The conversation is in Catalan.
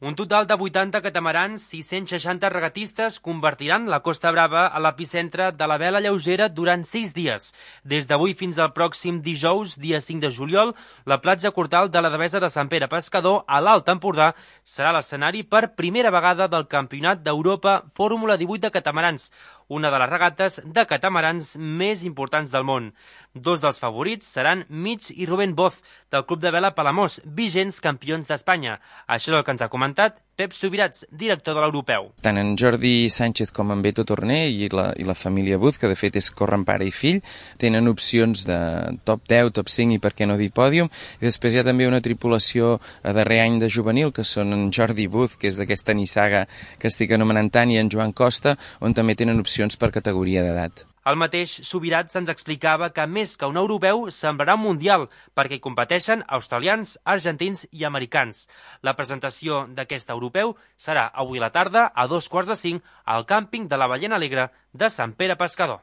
Un total de 80 catamarans i 160 regatistes convertiran la Costa Brava a l'epicentre de la vela lleugera durant 6 dies. Des d'avui fins al pròxim dijous, dia 5 de juliol, la platja Cortal de la Devesa de Sant Pere Pescador, a l'Alt Empordà, serà l'escenari per primera vegada del Campionat d'Europa Fórmula 18 de catamarans, una de les regates de catamarans més importants del món. Dos dels favorits seran Mig i Rubén Boz, del Club de Vela Palamós, vigents campions d'Espanya. Això és el que ens ha comentat Pep Subirats, director de l'Europeu. Tant en Jordi Sánchez com en Beto Torné i la família Buz, que de fet és corren pare i fill, tenen opcions de top 10, top 5 i per què no dir pòdium. I després hi ha també una tripulació a darrer any de juvenil, que són en Jordi Buz, que és d'aquesta nissaga que estic anomenant tant, i en Joan Costa, on també tenen opcions per categoria d'edat. El mateix Subirats ens explicava que més que un europeu semblarà un mundial perquè hi competeixen australians, argentins i americans. La presentació d'aquest europeu serà avui a la tarda a 15:45 al càmping de la Ballena Alegre de Sant Pere Pescador.